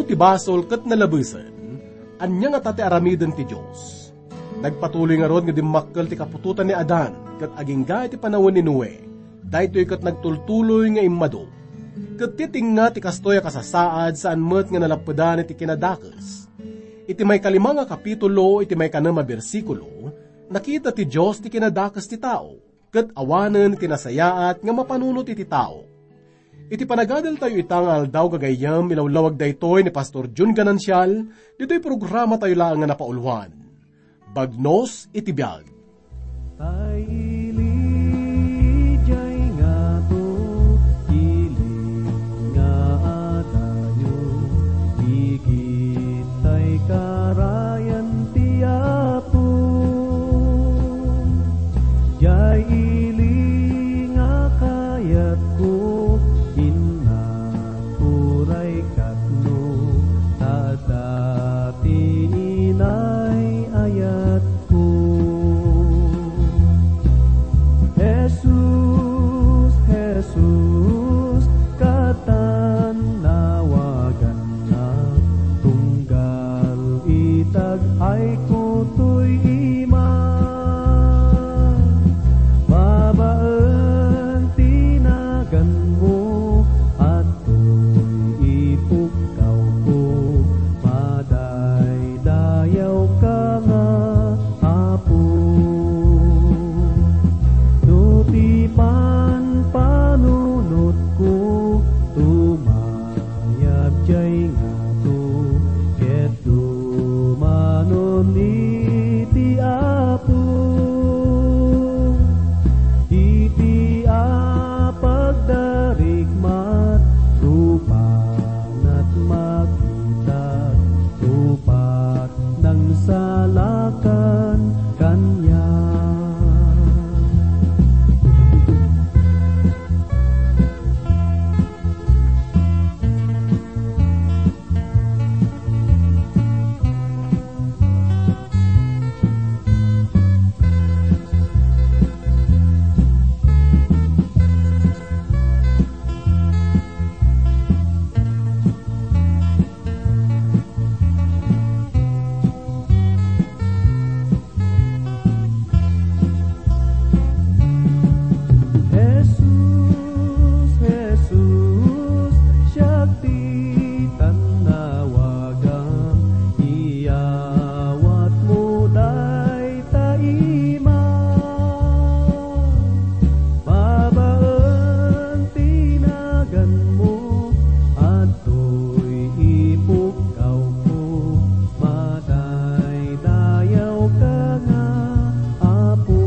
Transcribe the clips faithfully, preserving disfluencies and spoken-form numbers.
Ti basol ket nalabesen, ania ngata ti aramiden ti Dios? Nagpatuloy ngarud nga dimmakkel ti kaputotan ni Adan, ket agingga iti panawen ni Noe, daytoy ket nagtultuloy nga immadu. Ket ti tengnga ti kastoy a kasasaad, saan met nga nalappedan iti kinadakes. Iti maikalima nga kapitulo, iti maikanem a bersikulo, nakita ti Dios ti kinadakes ti tao, ket awanen ti nasayaat nga mapanunot iti tao. Iti panagadaltayo ita nga aldaw gagayyem, ilawlawag daytoy ni Pastor Jun Ganancial, ditoy programatayo laeng nga napauloan, Bagnos iti Biag. Tay ili jay ngato, ili nga adayo, igid tay karayan ti Apo. Jay ili nga kayatko, innak, uray katno, ta adda ti inay ayatko. Jesus, Jesus, katannawagannak, tunggal itag-ayko toy ima. Babaen ti naganmo, adtoy ipukkawko, madaydayaw ka nga Apo. No ti panpanunotko, tumayab jay ngato, ket dumanon iti Apo. Iti a pagdarikmat, rupanat makitak, rupat nangsalakan kaniak. Jesus, Jesus, siak ti tannawagam, iyawatmo dayta ima. Babaen ti naganmo, adtoy ipukkawko, madaydayaw ka nga Apo.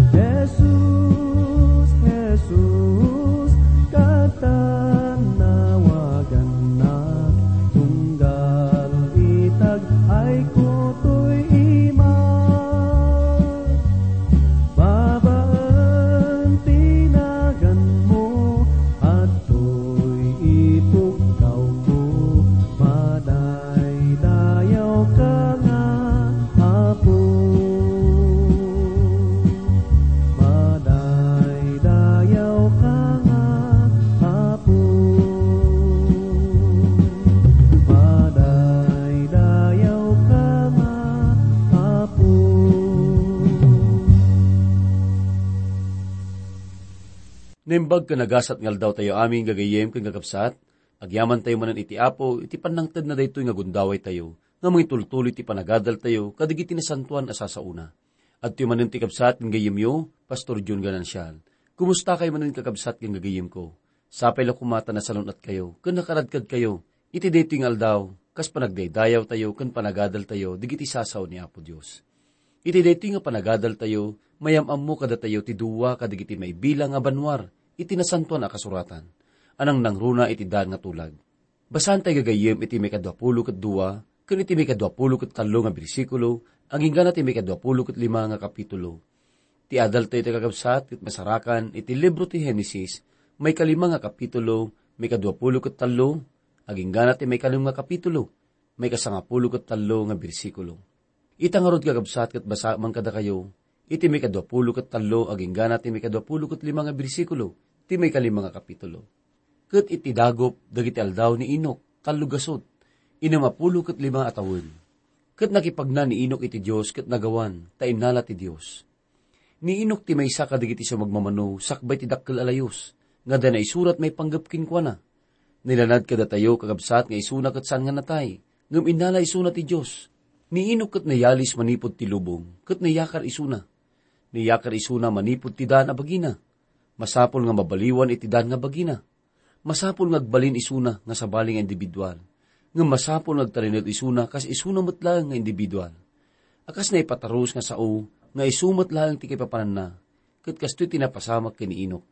Jesus, Jesus, katannawagannak, tunggal itag-ayko toy ima. Babaen ti naganmo, adtoy ipukkawko, madaydayaw ka nga Apo. Madaydayaw ka nga Apo. Madaydayaw ka nga Apo. Naimbag ken nagasat nga aldaw tayo amin, gagayyem ken kakabsat. Agyaman tayo manen iti Apo, iti pannangted na daytoy nga gundaway tayo, nga mangitultuloy ti panagadal tayo, kadagiti nasantoan a sasaona. Adtoy manen ti kabsat ken gayyemyo, Pastor Jun Ganancial. Kumusta kayo manen, kakabsat ken gagayyemko? Sapay la koma ta nasalun-at kayo, ken nakaradkad kayo. Iti daytoy nga aldaw, kas panagdaydayaw tayo ken panagadal tayo, dagiti sasao ni Apo Dios. Iti daytoy nga panagadal tayo, mayam-ammo kadatayo ti dua kadagiti maibilang a bannuar iti Nasantoan a Kasuratan, a nangnangruna iti daan nga tulag. Basaan tayo gagayyem iti maikadua pulo ket dua ken iti maikadua pulo ket tallo nga bersikulo, agingga na ti maikadua pulo ket lima nga kapitulo. Ti adaltayo ti kakabsat ket masarakan iti libro ti Genesis, maikalima nga kapitulo, maikadua pulo ket tallo, agingga na ti maikanem nga kapitulo, maikasangapulo ket tallo nga bersikulo. Ita ngarud, kakabsat, ket basaem kadakayo iti maikadua pulo ket tallo agingga na ti maikadua pulo ket lima nga bersikulo ti maikalima nga kapitulo. Ket iti dagup dagiti aldaw ni Enoc, tallo gasut, innem a pulo ket lima a tawen. Ket nakipagna ni Enoc iti Dios ket nagawan, ta innala ti Dios. Ni Enoc ti maysa kadagiti sumagmamano sakbay ti dakkel a layus, nga adda naisurat maipanggep kenkuana. Nailanad kadatayo, kakabsat, nga isuna ket saan nga natay, ngem innala isuna ti Dios. Ni Enoc ket nayalis manipud ti lubong, ket nayakar isuna. Nayakar isuna manipud ti daan a bagina. Masapul nga mabaliwan iti daan nga bagina. Masapul nga agbalin isuna nga sabali nga individual. Ngem masapul nga agtalinaed isuna kas isuna met laeng nga individual. A kas naipatarus nga sao nga isu met laeng ti kaipapananna, ket kastoy ti napasamak ken ni Enoc.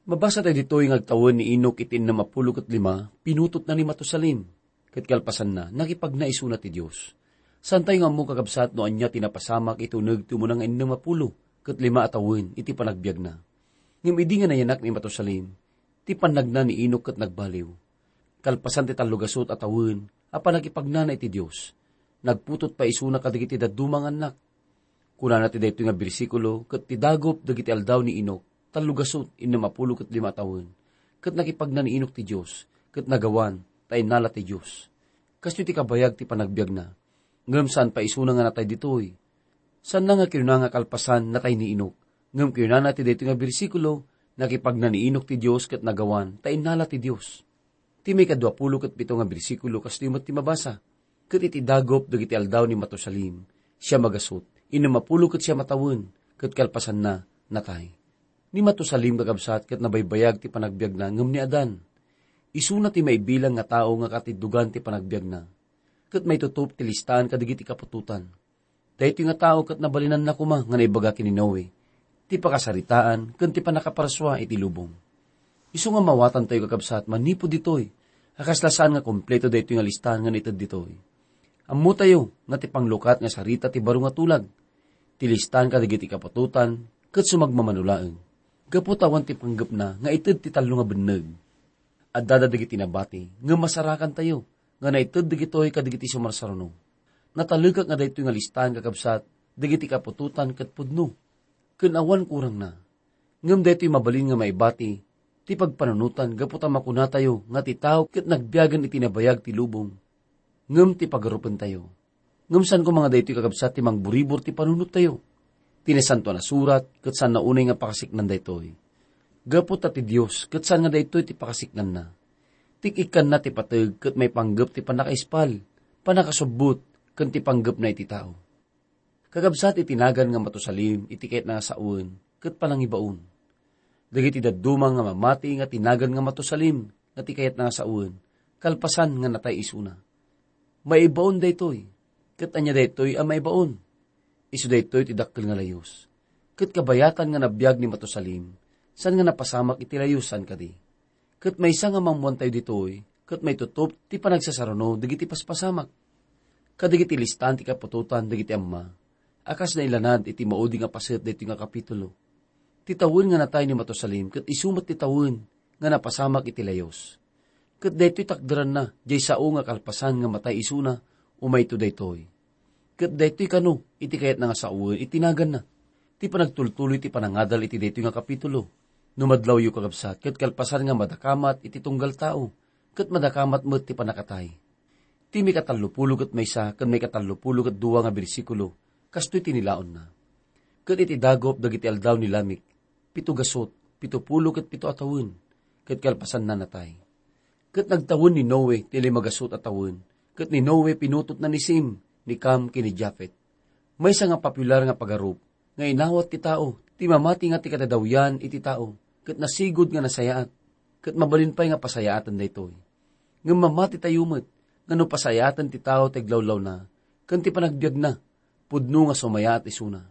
Mabasa tayo ditoy nga agtawen ni Enoc iti innem a pulo ket lima, pinutotna ni Matusalem. Ket kalpasanna, nakipagna isuna ti Dios. Saantayo nga ammo, kakabsat, no ania ti napasamak iti uneg ti umuna nga innem a pulo ket lima a tawen iti panagbiagna. Ngem idi nga nayanak ni Matusalem, ti pannagna ni Enoc ket nagbaliw. Kalpasan ti tallo gasut a tawen a pannakipagnana iti Dios, nagputot pay isuna kadagiti dadduma nga annak. Kunana ti daytoy nga bersikulo, ket ti dagup dagiti aldaw ni Enoc, tallo gasut, innem a pulo ket lima a tawen, ket nakipagna ni Enoc ti Dios, ket nagawan, ta innala ti Dios. Kastoy ti kabayag ti panagbiagna. Ngem saan pay isuna nga natay ditoy. Saanna nga kinuna nga kalpasan natay ni Enoc. Ngem kinunana ti daytoy nga bersikulo, nakipagna ni Enoc ti Dios ket nagawan, ta innala ti Dios. Ti maikadua pulo ket pito nga bersikulo kastoy met ti mabasa, ket iti dagup dagiti aldaw ni Matusalem, siam a gasut, innem a pulo ket siam a tawen, ket kalpasanna, natay. Ni Matusalem, kakabsat, ket nabaybayag ti panagbiagna ngem ni Adan. Isuna ti maibilang nga tao nga katiddogan ti panagbiagna, ket maitutop ti listaan kadagiti kaputotan. Daytoy nga tao ket nabalinanna koma nga naibaga ken ni Noe ti pakasaritaan ken ti pannakaparsua iti lubong. Isu nga mawatantayo, kakabsat, manipud ditoy, a kasla saan nga kompleto daytoy nga listaan nga naited ditoy. Ammotayo nga ti panglukat nga sarita ti baro nga tulag. Ti listaan kadagiti kaputotan ket sumagmamano laeng. Gapu ta awan ti panggepna nga ited ti tallo nga benneg. Addada dagiti nabati, ngem masarakantayo nga naited dagitoy kadagiti sumarsaruno. Natalekak nga daytoy nga listaan, kakabsat, dagiti kaputotan ket pudno, ken awan kurangna. Ngem daytoy mabalin nga maibati ti pagpanunotan gapu ta makunatayo nga ti tao ket nagbiagen iti nabayag ti lubong, ngem ti pagarupentayo. Ngem saan koma nga daytoy, kakabsat, ti mangburibor ti panunottayo. Ti Nasantoan a Surat ket saanna unay nga pakasiknan daytoy. Gapu ta ti Dios ket saan nga daytoy ti pakasiknanna. Tik-ikkanna ti pateg ket maipanggep ti pannakaispal, pannakasubbot, ken ti panggepna iti tao. Kakabsat, iti nagan nga Matusalem iti kayatna nga sawen ket panangibaon. Dagiti dadduma nga mamati nga ti nagan nga Matusalem nga ti kayatna nga sawen, kalpasan nga natay isuna. Maibaon daytoy. Ket ania daytoy a maibaon? Isu daytoy ti dakkel nga layus. Ket kabayatan nga nabiag ni Matusalem, saan nga napasamak iti layus, saan kadi? Ket maysa nga maammoantayo ditoy, ket maitutop ti panagsasaruno dagiti paspasamak. Kadagiti listaan ti kaputotan dagiti amma, a kas nailanad iti maudi nga paset daytoy nga kapitulo. Ti tawen nga natay ni Matusalem ket isu met ti tawen nga napasamak iti layus. Ket daytoy takderanna, diay sao nga kalpasan nga matay isuna, umayto daytoy. Ket daytoy kano iti kayatna nga sawen iti naganna. Ti panagtultuloy ti panangadal iti daytoy nga kapitulo. No madlawyo, kakabsat, ket kalpasan nga madakamat iti tunggal tao, ket madakamat met ti pannakatay. Ti maikatallopulo ket maysa ken maikatallopulo ket dua nga bersikulo, kastoy ti nilaonna. Ket iti dagup dagiti aldaw ni Lamec, pito gasut, pito pulo ket pito a tawen, ket kalpasanna natay. Ket nagtawen ni Noe ti lima gasut a tawen, ket ni Noe pinutotna ni Sem, ni Cam, ken ni Jafet. Maysa nga popular nga pagarup nga inawat ti tao, ti mamati nga ti kadadawyan iti tao, ket nasigud nga nasayaat, ket mabalin pay nga pasayaaten daytoy. Ngem mamatitayo met nga no pasayaaten ti tao ti aglawlawna ken ti panagbiagna, pudno nga sumayaat isuna.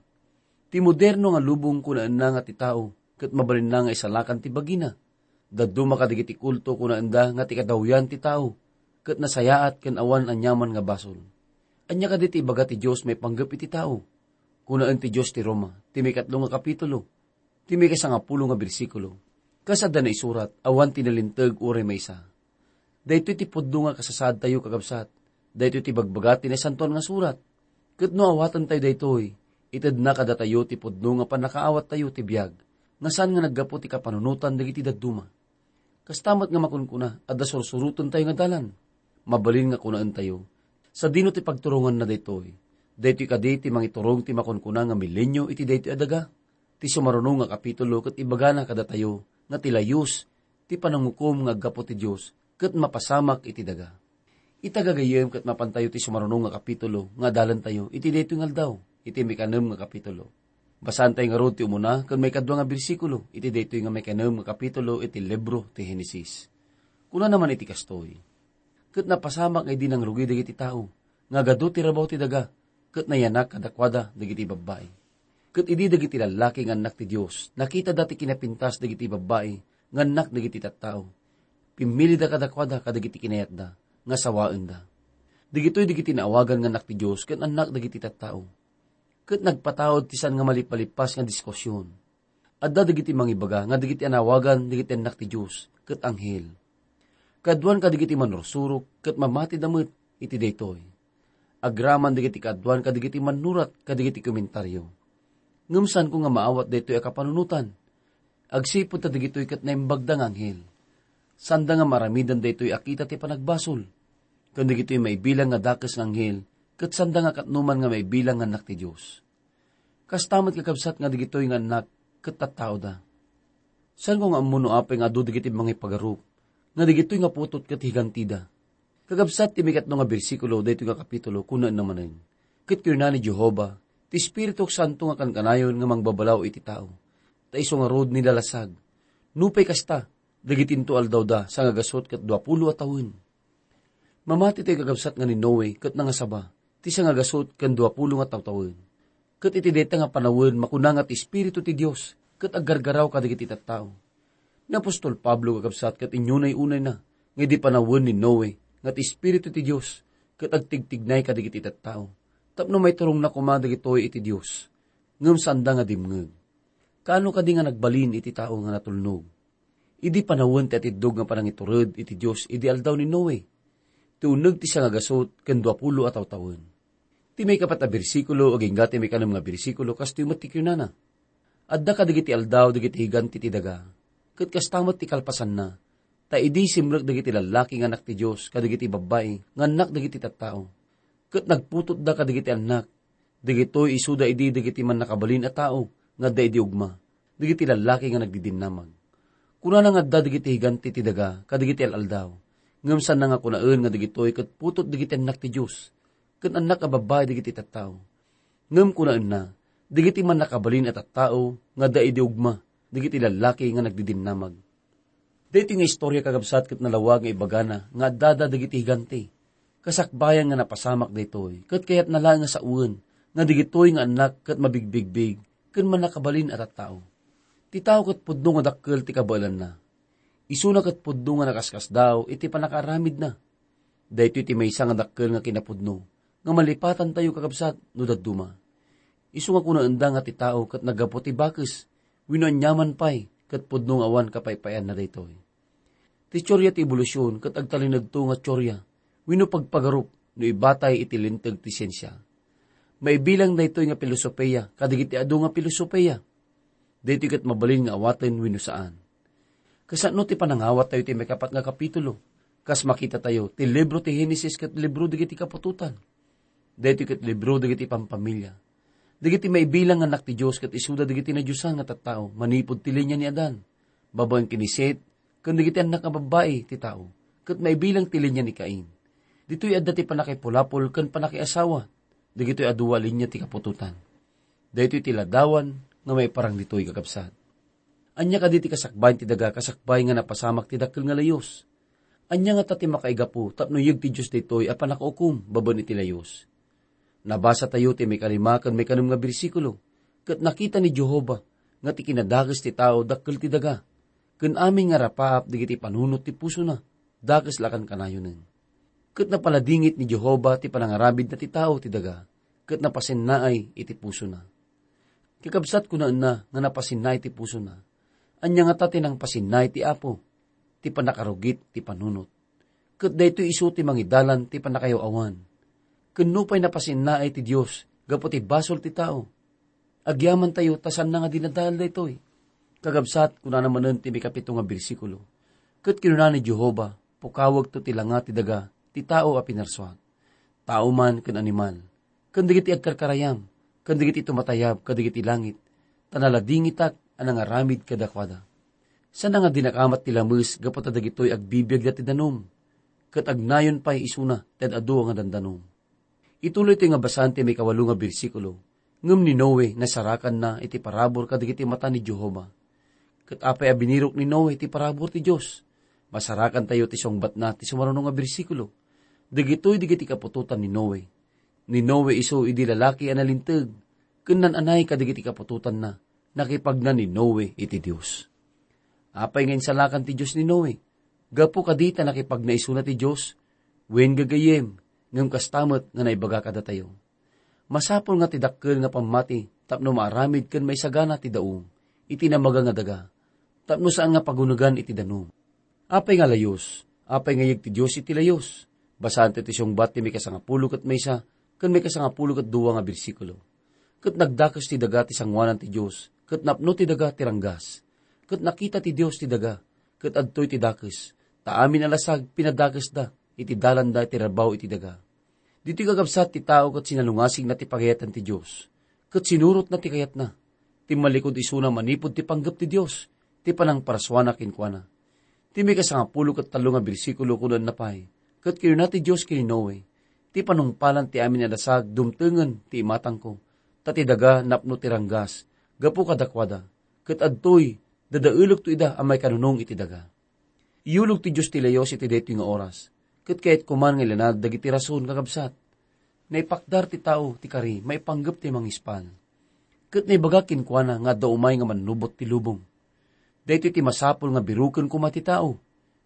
Ti moderno nga lubong kunaenna nga ti tao ket mabalinna nga isalakan ti bagina. Dadduma kadagiti kulto kunaenda nga ti kadawyan ti tao, ket nasayaat ken awan aniaman nga basol. Ania kadi ti ibaga ti Dios maipanggep iti tao? Kunaen ti Dios ti Roma, ti maikatlo nga kapitulo, ti maikasangapulo nga bersikulo. Kas adda naisurat, awan ti nalinteg uray maysa. Daytoy ti pudno nga kasasaadtayo, kakabsat. Daytoy ti ibagbaga ti Nasantoan nga Surat. Ket no awatentayo daytoy, itedna kadatayo ti pudno nga pannakaawattayo ti biag, nga saan nga naggapu ti kapanunotan dagiti dadduma. Kasta met nga makunkuna, adda sursurotentayo nga dalan. Mabalin nga kunaentayo, sadino ti pagturonganna daytoy? Daytoy kadi ti mangiturong ti makunkuna nga milenio iti daytoy a daga? Ti sumaruno nga kapitulo ket ibagana kadatayo nga ti layus ti panangukom nga aggapu ti Dios ket mapasamak iti daga. Ita gagayyem ket mapantayo ti sumaruno nga kapitulo nga adalantayo iti daytoy nga aldaw, iti maikanem nga kapitulo. Basaantayo ngarud ti umuna ken maikadua nga bersikulo iti daytoy nga maikanem nga kapitulo iti libro ti Henesis. Kunana man iti kastoy, "Ket napasamak nga idi nangrugi dagiti tao nga agadu ti rabaw ti daga, ket nayanak kadakuada dagiti babbai." Ket idi dagiti lallaki nga annak ti Dios nakitada ti kinapintas dagiti babbai nga annak dagiti tattao, pimmilida kadakuada kadagiti kinayatda nga sawaenda. Dagitoy dagiti naawagan nga annak ti Dios ken annak dagiti tattao. Ket nagpataud ti saan nga malipalippas nga diskusion. Adda dagiti mangibaga nga dagiti anawagan dagiti annak ti Dios ket anghel. Kaaduan kadagiti manursurok ket mamatida met iti daytoy. Agraman dagiti kaaduan kadagiti mannurat kadagiti komentario. Ngem saanko nga maawat daytoy a kapanunotan. Agsipud ta dagitoy ket naimbagda nga anghel. Saanda nga maaramidan daytoy a kita ti panagbasol. Ken dagitoy maibilang nga dakes nga anghel, ket saanda nga katnoman nga maibilang nga annak ti Dios. Kasta met, kakabsat, nga dagitoy nga annak ket tattaoda. Saanko nga ammo no apay nga adu dagiti mangipagarup, nga dagitoy nga putot ket higantida. Kakabsat, ti maikatlo nga bersikulo daytoy nga kapitulo, kunaenna manen, "Ket kinuna ni Jehovah, 'Ti Espirituk Santo nga kankanayon nga mangbabalaw iti tao, ta isu ngarud nilalasag.' Nupay kasta, dagitinto aldawda sangagasut ket duapulo a tawen." Mamati tayo, kakabsat, nga ni Noe ket nangasaba ti sangagasut ken duapulo nga tawtawen. Ket iti dayta nga panawen, makuna nga ti Espiritu ti Dios ket aggargaraw kadagiti tattao. Ni apostol Pablo, kakabsat, ket inyunay-unayna nga idi panawen ni Noe nga ti Espiritu ti Dios ket agtigtignay kadagiti tattao tapno maiturongna koma dagitoy iti Dios. Ngem saanda nga dimngeg. Kaano kadi nga nagbalin iti tao nga natulnog? Idi panawen ti atiddog nga panangitured iti Dios idi aldaw ni Noe, ti uneg ti sangagasut ken duapulo a tawtawen. Ti maikapat a bersikulo agingga ti maikanem nga bersikulo kastoy met ti kunana, "Adda kadagiti aldaw dagiti higanti ti daga, ket kasta met ti kalpasanna, ta idi simrek dagiti lallaki nga annak ti Dios kadagiti babbai nga annak dagiti tattao, ket nagputotda kadagiti annak, dagitoy isuda idi dagiti mannakabalin a tao nga adda idi ugma, dagiti lallaki nga nagdidinnamag. Kunana nga adda dagiti higanti ti daga kadagiti al-aldaw, ngem saanna nga kunaen nga dagitoy ket putot dagiti annak ti Dios, ken annak a babbai dagiti tattao. Ngem kunaenna, dagiti mannakabalin a tattao nga adda idi ugma, dagiti lallaki nga nagdidinnamag." Daytoy nga istorya, kakabsat, ket nalawag nga ibagana nga addada dagiti higanti. Kasakbayan nga napasamak daytoy, ket kayatna laeng nga sawen nga dagitoy nga annak ket mabigbigbig ken mannakabalin a tattao. Ti tao ket pudno nga dakkel ti kabaelanna. Isuna ket pudno nga nakaskasdaaw iti pannakaaramidna. Daytoy ti maysa nga dakkel nga kinapudno nga malipatantayo, kakabsat, no dadduma. Isu nga kunaenda nga ti tao ket naggapu ti bakes wenno aniaman pay ket pudno nga awan kapaypayanna daytoy. Ti teoria ti ebolusyon ket agtalinaedto nga teoria wenno pagpagarup no ibatay iti linteg ti siensia. Maibilang daytoy nga pilosopia kadagiti adu nga pilosopia. Daytoy ket mabalin nga awaten wenno saan. Kasano ti panangawattayo ti maikapat nga kapitulo? Kas makitatayo, ti libro ti Henesis ket libro dagiti kaputotan. Daytoy ket libro dagiti pampamilya. Dagiti maibilang nga annak ti Dios ket isuda dagiti nadiosan nga tattao manipud ti linia ni Adan, babaen ken ni Set, ken dagiti annak nga babbai ti tao, ket maibilang ti linia ni Cain. Ditoy adda ti pannakaipulapol ken pannakaiasawa. Dagitoy a dua linia ti kaputotan. Daytoy ti ladawan nga maiparang ditoy, kakabsat. Ania kadi ti kasakbayan ti daga kasakbay nga napasamak ti dakkel nga layus? Ania ngata ti makaigapu tapno iyeg ti Dios daytoy a pannakaukom babaen iti layus? Nabasatayo ti maikalima ken maikanem nga bersikulo, ket nakita ni Jehovah nga ti kinadakes ti tao dakkel ti daga, ken amin nga rapaap dagiti panunot ti pusona, dakes la a kankanayonen. Ket napaladingit ni Jehovah ti panangaramidna ti tao ti daga, ket napasinnaay iti pusona. Kakabsat, kunaenna nga napasinnaay ti pusona. Ania ngata ti nangpasinnaay ti Apo? Ti pannakarugit ti panunot. Ket daytoy isu ti mangidalan ti pannakayaw-awan. Ken nupay napasinnaay ti Dios gapu ti basol ti tao, agyamantayo ta saanna nga dinadael daytoy. Kakabsat, kunana manen ti maikapito nga bersikulo, Ket kinuna ni Jehovah, "Pukawekto ti langa ti daga ti tao a pinarsuak, tao man ken animal, ken dagiti agkarkarayam, ken dagiti tumatayab kadagiti langit, ta naladingitak a nangaramid kadakuada." Sana nga dinakamat ti lames gapu ta dagitoy agbibiagda ti danum, ket agnayon pay isuna ti ad-adu a dandanum. Ituloy ti nga basan ti maikawalo nga bersikulo, ngem ni Noe nasarakanna iti parabur kadagiti mata ni Jehovah. Ket apay a binirok ni Noe ti parabur ti Dios? Masarakantayo ti sungbatna ti sumaruno nga bersikulo. Dagitoy dagiti kaputotan ni Noe. Ni Noe isu idi lalaki a nalinteg, ken nan-anay kadagiti kaputotanna, nakipagna ni Noe iti Dios. Apay nga insalakan ti Dios ni Noe? Gapu kadi ta nakipagna isuna ti Dios? Wen, gagayyem, ngem kasta met nga naibaga kadatayo. Masapul nga ti dakkel nga pammati tapno maaramid ken maisagana ti daum iti namaga nga daga, tapno saan nga pagunegan iti danum. Apay nga layus? Apay nga yeg ti Dios iti layus? Basaanto ti sungbat ti maikasangapulo ket maysa ken maikasangapulo ket dua nga bersikulo. Ket nagdakes ti daga ti sangoanan ti Dios, ket napno ti daga ti ranggas. Ket nakita ti Dios ti daga, ket adtoy ti dakes, ta amin a lasag pinadakesda iti dalanda iti rabaw iti daga. Ditoy kakabsat ti tao ket sinalungasingna ti pagayatan ti Dios, ket sinurotna ti kayatna. Timmallikud isuna manipud ti panggep ti Dios, ti panangparsuana kenkuana. Ti maikasangapulo ket tallo nga bersikulo, kunana pay, ket kinuna ti Dios ken ni Noe, "Ti panungpalan ti amin a lasag dumtengen ti imatangko, ta ti daga napno ti ranggas gapu kadakuada, ket adtoy, dadaelekto ida a maikanunong iti daga." Iyulog ti Dios ti layus iti daytoy nga oras, ket kayatko man nga ilanad dagiti rason, kakabsat. Naipakdar ti tao ti kari maipanggep ti mangispal. Ket naibaga kenkuana nga adda umay nga mannubot ti lubong. Daytoy ti masapul nga biroken koma ti tao,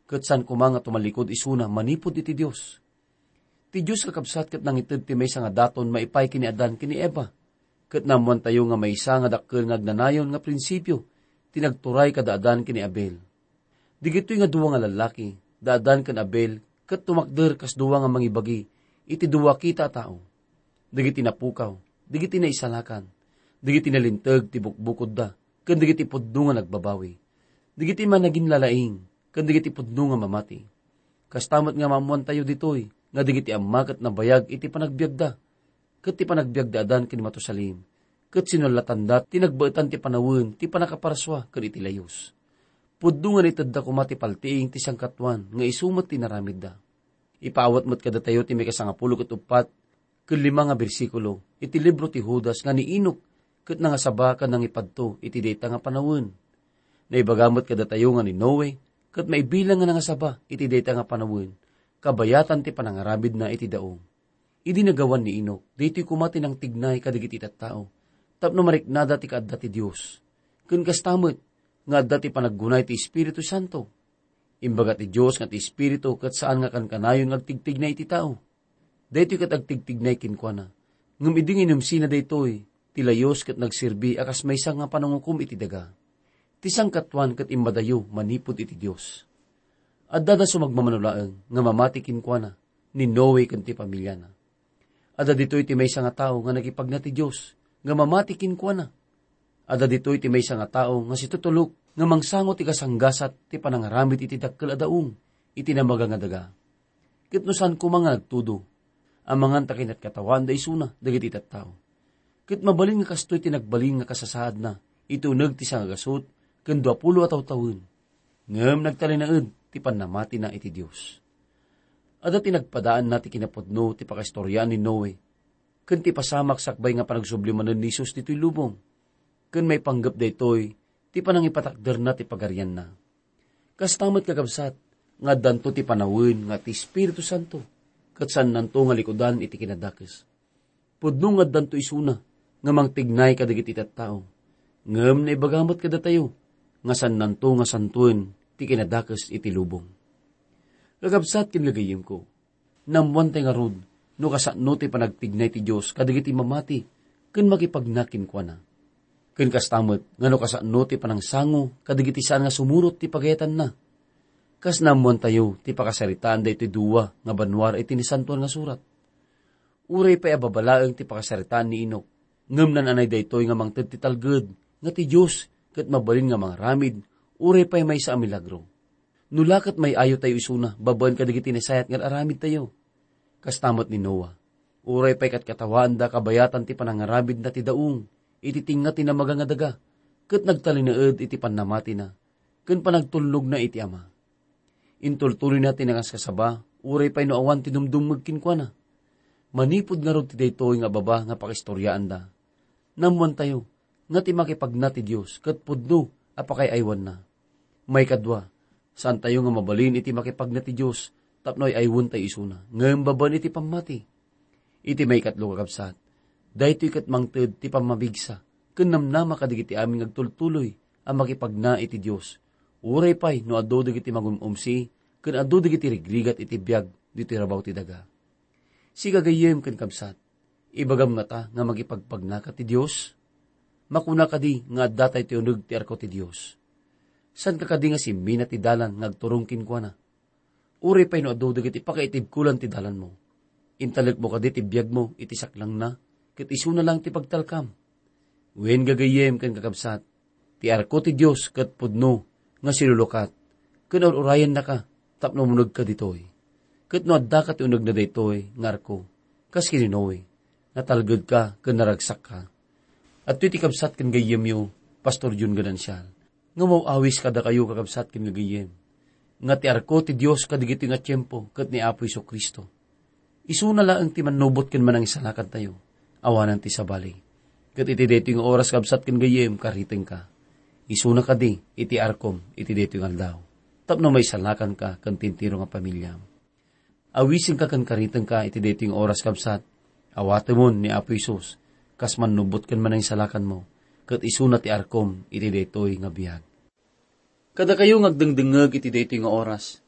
ket saan koma nga tumallikud isuna manipud iti Dios. Ti Dios, kakabsat, ket nangited ti maysa nga daton maipaay ken ni Adan ken ni Eva. Ket naammoantayo nga maysa nga dakkel nga agnanayon nga prinsipio ti nagturay kada Adan ken ni Abel. Dagitoy nga dua nga lallaki, da Adan ken Abel, ket tumakder kas dua nga mangibagi iti dua kita a tao. Dagiti napukaw, dagiti naisalakan, dagiti nalinteg ti bukbukodda, ken dagiti pudno nga nagbabawi, dagiti managinlalaing, ken dagiti pudno nga mamati. Kasta met nga maammoantayo ditoy, nga dagiti amma ket nabayag iti panagbiagda, ket ti panagbiag da Adan ken ni Matusalem, ket sinullatanda ti nagbaetan ti panawen ti pannakaparsua ken iti layus. Pudno nga naitedda koma ti paltiing ti sangkatuan nga isu met ti inaramidda. Ipaawat met kadatayo ti maikasangapulo ket uppat ken lima nga bersikulo iti libro ti Judas nga ni Enoc ket nangasaba ken nangipadto iti dayta nga panawen. Naibaga met kadatayo nga ni Noe ket maibilang nga nangasaba iti dayta nga panawen, kabayatan ti panangaramidna iti daum. Idi nagawan ni Enoc, daytoy koma ti nangtignay kadagiti tattao tapno mariknada ti kaadda ti Dios. Ken kasta met nga adda ti panaggunay ti Espiritu Santo. Imbaga ti Dios nga ti Espiritu ket saan nga kankanayon nga agtigtignay iti tao. Daytoy ket agtigtignay kenkuana. Ngem idi nga inumsina daytoy, ti layus ket nagserbi a kas maysa nga panangukom iti daga. Ti sangkatuan ket immadayo manipud iti Dios. Addada sumagmamano laeng nga mamati kenkuana ni Noe ken ti pamiliana. Adda ditoy ti maysa nga tao nga nagipagna ti Dios nga mamati kenkuana. Adda ditoy ti maysa nga tao nga situtulok nga mangsango ti gasanggasat ti panangaramid iti dakkel a daum iti namaga nga daga. Ket no saan koma nga nagtudo, amangan ta kinatkatawaanda isuna dagiti tattao. Ket mabalin nga kastoy ti nagbalin nga kasasaadna iti uneg ti sangagasut ken duapulo a tawtawen. Ngem nagtalinaed ti pannamatina iti Dios. Adda ti nagpadaanna ti kinapudno ti pakaistoriaan ni Noe ken ti pasamak sakbay nga panagsubli manen ni Jesus ditoy lubong, ken maipanggep daytoy ti panangipatakderna ti pagarianna. Kasta met, kakabsat, nga addanto ti panawen nga ti Espiritu Santo, ket saannanto nga likudan iti kinadakes. Pudno nga addanto isuna nga mangtignay kadagiti tattao, ngem naibaga met kadatayo nga saannanto nga santoen ti kinadakes iti lubong. Kakabsat ken gagayyemko, naammoantay ngarud no kasano ti panagtignay ti Dios kadagiti mamati ken makipagna kenkuana. Ken kasta met nga no kasano ti panangsango kadagiti saan nga sumurot ti pagayatanna. Kas naammoantayo ti pakasaritaan daytoy dua nga banua iti Nasantoan nga Surat. Uray pay a babalaeng ti pakasaritaan ni Enoc, ngem naan-anay daytoy nga mangted ti talged nga ti Dios ket mabalin nga mangaramid uray pay maysa a milagro. No la ket may-ayo tayo isuna babaen kadagiti nasayaat nga ar-aramidtayo. Kasta met ni Noa. Uray pay katkatawaanda kabayatan ti panangaramidna ti daong, iti tengnga ti namaga nga daga, ket nagtalinaed iti pannamatina, ken panagtulnogna iti Ama. Intultuloyna ti nangaskasaba, uray pay no awan ti dumdumngeg kenkuana. Manipud ngarud ti daytoy nga baba nga pakistoriaanda, naammoantayo nga ti makipagna ti Dios ket pudno a pakay-aywanna. Maikadua, saantayo nga mabalin iti makipagna ti Dios tapno ay-aywentayo isuna, ngem babaen iti pammati. Iti maikatlo, kakabsat, daytoy ket mangted ti pammamigsa ken namnama kadagiti amin nga agtultuloy a makipagna iti Dios, uray pay no adu dagiti mangum-umsi ken adu dagiti rigrigat iti biag ditoy rabaw ti daga. Sika, gayyem ken kabsat, ibagam ngata nga makipagpagnaka ti Dios? Makuna kadi nga adda tay ti uneg ti arko ti Dios? Saanka kadi nga simmina ti dalan nga agturong kenkuana? Uray pay no adu dagiti pakaitibkolan ti dalanmo, intalekmo kadi ti biagmo iti saklangna, ket isuna laeng ti pagtalkam? Wen, gagayyem ken kakabsat, ti arko ti Dios ket pudno nga silulukat, ken ur-urayennaka tapno umunegka ditoy. Ket no addaka ti unegna daytoy nga arko, kas ken ni Noe, natalgedka ken naragsakka. Adtoy ti kabsat ken gayyemyo, Pastor Jun Ganancial, nga maw-awis kadakayo, kakabsat ken gagayyem, nga ti arko ti Dios kadagitoy nga tiempo ket ni Apo Jesu-Cristo. Isuna laeng ti mannubot ken manangisalakantayo, awanen ti sabali. Ket iti daytoy nga oras, kabsat ken gayyem, karitengka. Isuna kadi iti arkom iti daytoy nga aldaw, tapno maisalakanka ken ti entero nga pamiliam. Awisenka ken karitengka iti daytoy nga oras, kabsat. Awatemon ni Apo Jesus kas mannubot ken manangisalakanmo, ket isuna ti arkom iti daytoy nga biag. Kadakayo nga agdengdengngeg iti daytoy nga oras,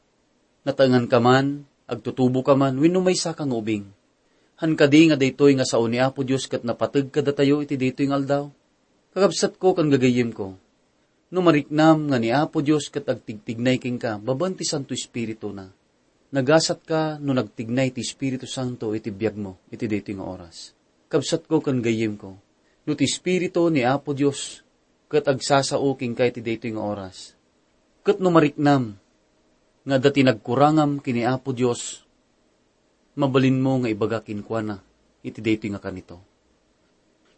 nataenganka man, agtutuboka man, wenno maysaka nga ubing, han kadi nga daytoy nga sao ni Apo Dios ket napateg kadatayo iti daytoy nga aldaw? Kakabsatko ken gagayyemko, no mariknam nga ni Apo Dios ket agtigtignay kenka babaen ti Santo Espirituna, nagasatka no nagtignay ti Espiritu Santo iti biagmo iti daytoy nga oras. Kabsatko ken gayyemko, no ti Espiritu ni Apo Dios ket agsasao kenka iti daytoy nga oras, ket no mariknam nga adda ti nagkurangam ken ni Apo Dios, mabalinmo nga ibaga kenkuana iti daytoy nga kanito.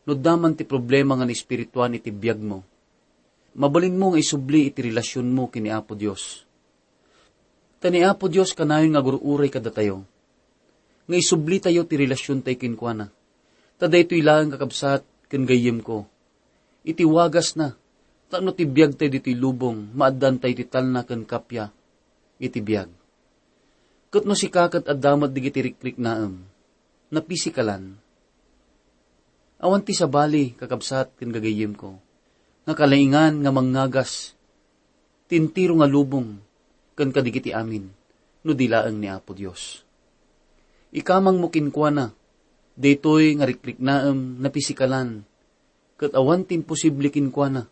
No adda man ti problema nga naespirituan iti biagmo, mabalinmo nga isubli iti relasionmo ken ni Apo Dios. Ta ni Apo Dios kanayon nga agur-uray kadatayo, nga isublitayo ti relasiontayo kenkuana. Ta daytoy laeng, kakabsat ken gayyemko, iti wagasna, tapno ti biagtayo ditoy lubong, maaddaantayo ti talna ken kappia iti biag. Ket no sika ket adda met dagiti rikriknaem, napisikalan, awan ti sabali, kakabsat ken gagayyemko, nga kalaingan nga mangngagas ti entero nga lubong ken kadagiti amin no di laeng ni Apo Dios. Ikamangmo kenkuana daytoy nga rikriknaem napisikalan, ket awan ti imposible kenkuana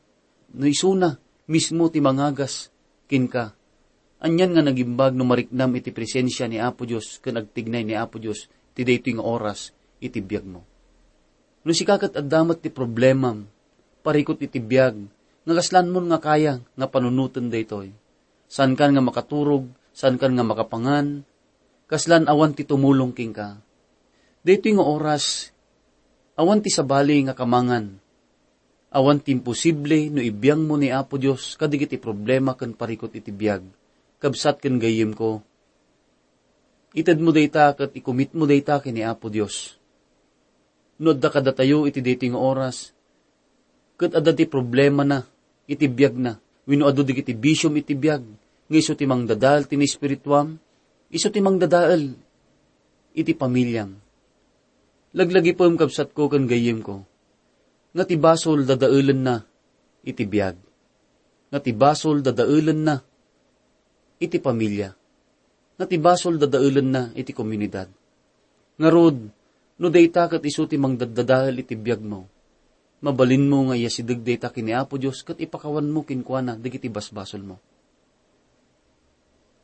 no isuna mismo ti mangagas kenka. Anian nga nagimbag no mariknam iti presensia ni Apo Dios ken agtignay ni Apo Dios ti daytoy nga oras iti biagmo. No sika ket adda met ti problemam, parikut iti biag, nga kaslanmon nga kaya nga panunoten daytoy. Saankan nga makaturog, saankan nga makapangan, kaslan awan ti tumulong kenka. Daytoy nga oras, awan ti sabali nga kamangan. Awan ti imposible no ibiangmo ni Apo Dios kadagiti problema ken parikut iti biag, kabsat ken gayyemko. Itedmo dayta ket ikumitmo dayta ken ni Apo Dios. No adda kadatayo iti daytoy nga oras, ket adda ti problemana iti biagna, wenno adu dagiti bisiom iti biag, nga isu ti mangdadael ti naespirituam, isu ti mangdadael iti pamiliam. Laglagipem, kabsatko ken gayyemko, nga ti basol dadaelenna iti biag, nga ti basol dadaelenna iti pamilia, nga ti basol dadaelenna iti komunidad. Ngarud, no dayta ket isu ti mangdaddadael iti biagmo, mabalinmo nga iyasideg dayta ken ni Apo Dios ket ipakawanmo kenkuana dagiti basbasolmo.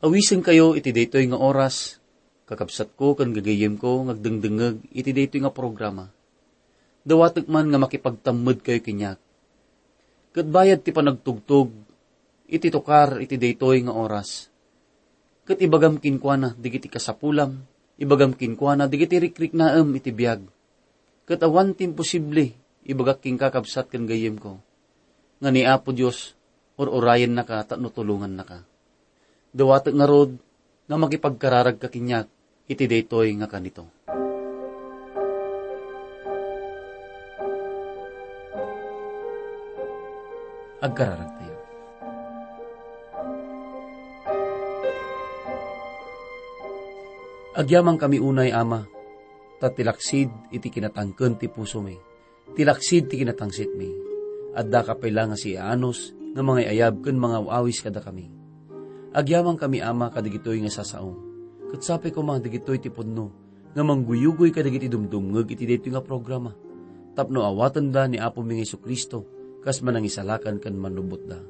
Awisenkayo iti daytoy nga oras, kakabsatko ken gagayyemko nga agdengdengngeg iti daytoy nga programa. Dawatek man nga makipagtammedkayo kaniak. Ket bayad ti panagtugtog iti tukar iti daytoy nga oras, Ket ibagam kenkuana dagiti kasapulam, ibagam kenkuana dagiti rikriknaem iti biag. Ket awan ti imposible, ibagak kenka, kabsat ken gayyemko, nga ni Apo Dios ur-urayennaka tapno tulongannaka. Dawatek ngarud nga makipagkararagka kaniak iti daytoy nga kanito. Agkararagtayo. Agyamankami unay, Ama, ta ti laksid iti kinatangken ti pusomi, ti laksid ti kinatangsitmi. Addaka pay la nga siaanus nga mangay-ayab ken mangaw-awis kadakami. Agyamankami, Ama, kadagitoy nga sasao, ket sapay koma dagitoy ti pudno nga mangguyugoy kadagiti dumdumngeg iti daytoy nga programa, tapno awatenda ni Apomi nga Jesu-Cristo kas Manangisalakan ken Mannubbotda.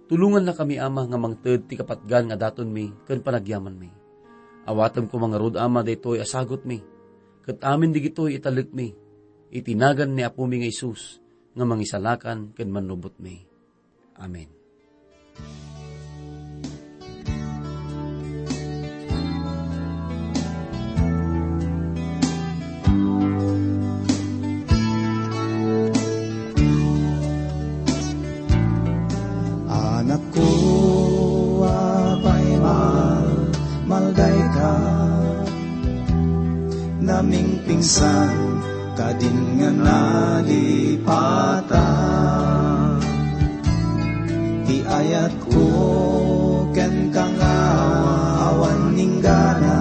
Tulongannakami, Ama, nga mangted ti kapatgan nga datonmi ken panagyamanmi. Awatem koma ngarud, Ama, daytoy a sagutmi, ket amin dagitoy italekmi iti nagan ni Apomi nga Jesus nga Mangisalakan ken Mannubbotmi. Amen. Anakko, apay ma-, maldayka, namingpingsan, kadin nga nalipata. Ti ayatko kenka nga awan inggana,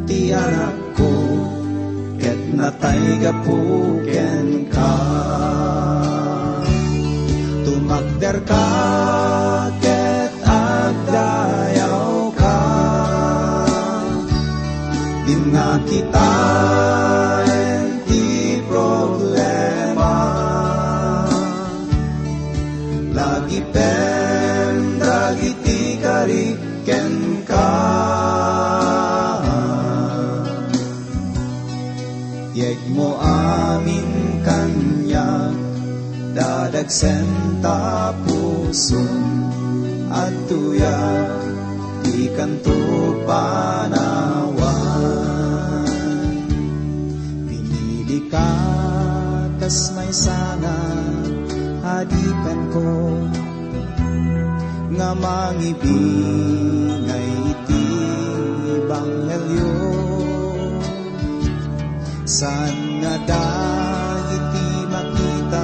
ti anakko ket natay gapu kenka. Tumakderka ket agdayawka. Dinnak kitaen ti problema. Lagipen dagiti kari kenka. Yegmo amin kaniak, dadagsen ta puson, adtoyak ti kanto panawan. Pinilika kas maysa nga adipenko, nga mangibingay iti ebanghelio. Saan nga dagiti makita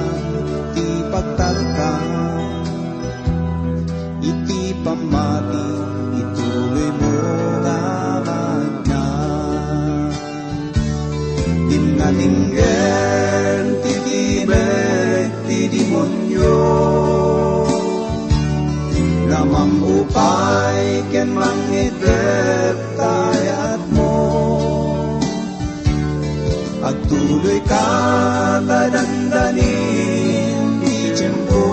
ti pagtalka iti pammati, ituloymo nga magna. Dinnak inggen ti timek ti demonio, nga mangupay ken mangitep ta ayatmo. Agtuloyka ta dandanin ti tiempo.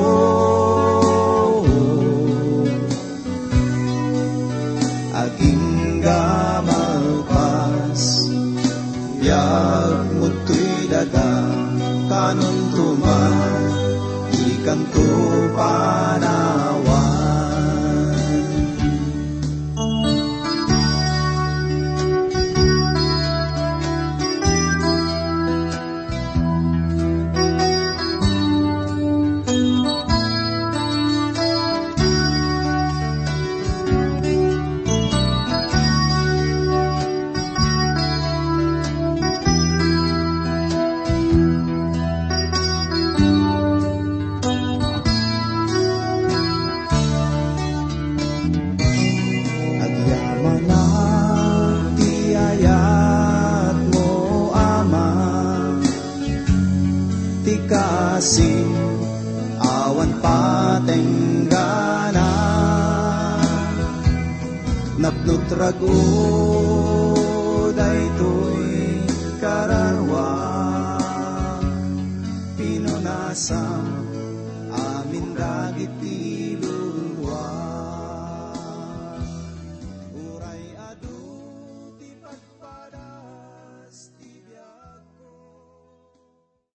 Agingga malpas, biagmo toy daga, kanuntoman, ikanto panawan. Agyamanak ti ayatmo, Ama, ti kaasi awan patenggana. Napnotragko daytoy kararua, pinunasam amin dagiti